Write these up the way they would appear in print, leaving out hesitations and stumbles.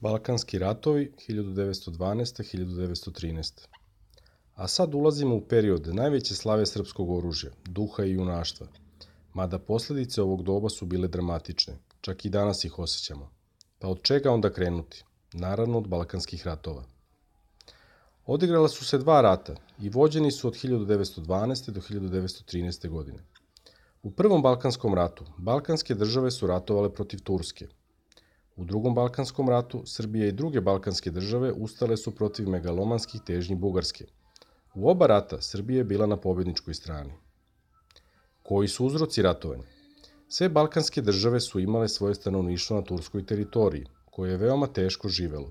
Balkanski ratovi 1912-1913. A sad ulazimo u period najveće slave srpskog oružja, duha i junaštva. Mada posljedice ovog doba su bile dramatične, čak i danas ih osjećamo. Pa od čega onda krenuti? Naravno od Balkanskih ratova. Odigrala su se dva rata i vođeni su od 1912. do 1913. godine. U Prvom Balkanskom ratu balkanske države su ratovale protiv Turske. U Drugom Balkanskom ratu Srbija i druge balkanske države ustale su protiv megalomanskih težnji Bugarske. U oba rata Srbija je bila na pobjedničkoj strani. Koji su uzroci ratovanja? Sve balkanske države su imale svoje stanovništvo na turskoj teritoriji, koje je veoma teško živelo.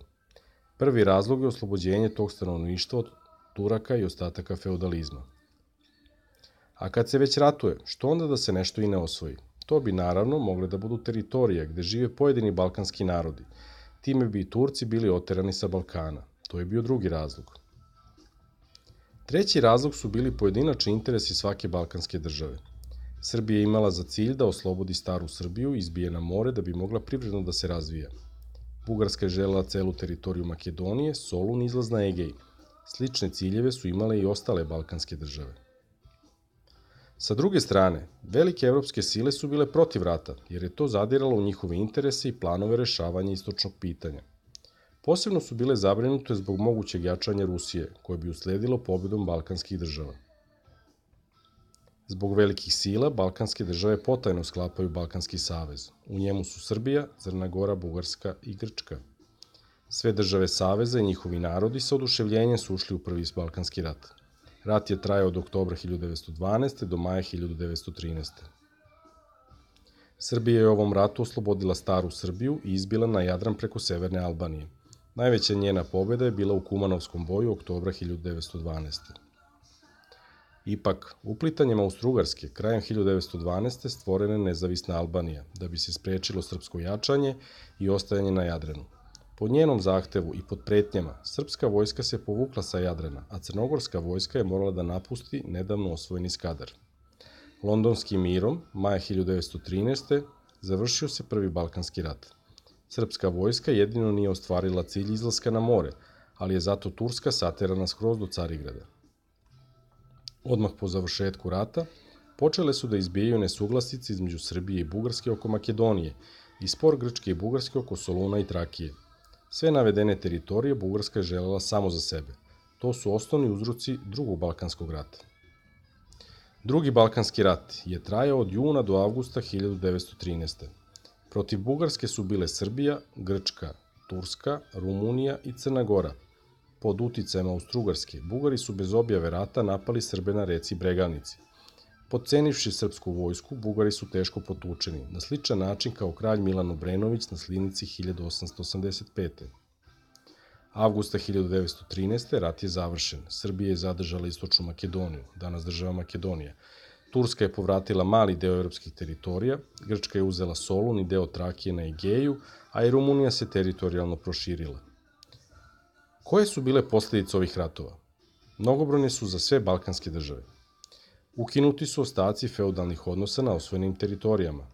Prvi razlog je oslobođenje tog stanovništva od Turaka i ostataka feudalizma. A kad se već ratuje, što onda da se nešto i ne osvoji? To bi naravno mogle da budu teritorije gde žive pojedini balkanski narodi. Time bi i Turci bili oterani sa Balkana. To je bio drugi razlog. Treći razlog su bili pojedinačni interesi svake balkanske države. Srbija je imala za cilj da oslobodi staru Srbiju i izbije na more da bi mogla privredno da se razvija. Bugarska je želela celu teritoriju Makedonije, Solun i izlaz na Egej. Slične ciljeve su imale i ostale balkanske države. Sa druge strane, velike evropske sile su bile protiv rata, jer je to zadiralo u njihove interese i planove rešavanja istočnog pitanja. Posebno su bile zabrinute zbog mogućeg jačanja Rusije, koje bi usledilo pobedom balkanskih država. Zbog velikih sila, balkanske države potajno sklapaju Balkanski savez. U njemu su Srbija, Crna Gora, Bugarska i Grčka. Sve države saveza i njihovi narodi sa oduševljenjem su ušli u Prvi Balkanski rat. Rat je trajao od oktobra 1912. do maja 1913. Srbija je u ovom ratu oslobodila staru Srbiju i izbila na Jadran preko severne Albanije. Najveća njena pobjeda je bila u Kumanovskom boju oktobra 1912. Ipak, uplitanjem Austrougarske krajem 1912. stvorena je nezavisna Albanija, da bi se sprečilo srpsko jačanje i ostajanje na Jadranu. Po njenom zahtevu i pod pretnjama, srpska vojska se povukla sa Jadrana, a crnogorska vojska je morala da napusti nedavno osvojeni Skadar. Londonskim mirom, maja 1913. završio se Prvi Balkanski rat. Srpska vojska jedino nije ostvarila cilj izlaska na more, ali je zato Turska saterana skroz do Carigrada. Odmah po završetku rata, počele su da izbijaju nesuglasice između Srbije i Bugarske oko Makedonije i spor Grčke i Bugarske oko Soluna i Trakije. Sve navedene teritorije Bugarska je želela samo za sebe. To su osnovni uzroci Drugog Balkanskog rata. Drugi Balkanski rat je trajao od juna do avgusta 1913. Protiv Bugarske su bile Srbija, Grčka, Turska, Rumunija i Crna Gora. Pod uticajem Austrougarske, Bugari su bez objave rata napali Srbe na reci Bregalnici. Podcenivši srpsku vojsku, Bugari su teško potučeni, na sličan način kao kralj Milan Obrenović na Slinici 1885. Avgusta 1913. rat je završen. Srbija je zadržala istočnu Makedoniju, danas država Makedonija. Turska je povratila mali deo evropskih teritorija, Grčka je uzela Solun i deo Trakije na Egeju, a i Rumunija se teritorijalno proširila. Koje su bile posljedice ovih ratova? Mnogobrojne su za sve balkanske države. Ukinuti su ostaci feudalnih odnosa na osvojenim teritorijama.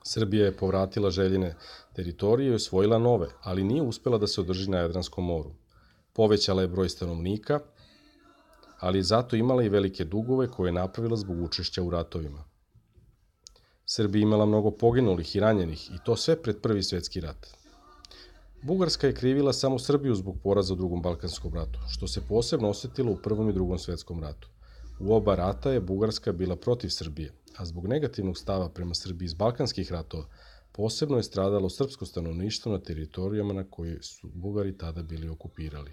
Srbija je povratila željene teritorije i osvojila nove, ali nije uspela da se održi na Jadranskom moru. Povećala je broj stanovnika, ali je zato imala i velike dugove koje je napravila zbog učešća u ratovima. Srbija je imala mnogo poginulih i ranjenih i to sve pred Prvi svjetski rat. Bugarska je krivila samo Srbiju zbog poraza u Drugom Balkanskom ratu, što se posebno osetilo u Prvom i Drugom svjetskom ratu. U oba rata je Bugarska bila protiv Srbije, a zbog negativnog stava prema Srbiji iz Balkanskih ratova posebno je stradalo srpsko stanovništvo na teritorijama na koje su Bugari tada bili okupirali.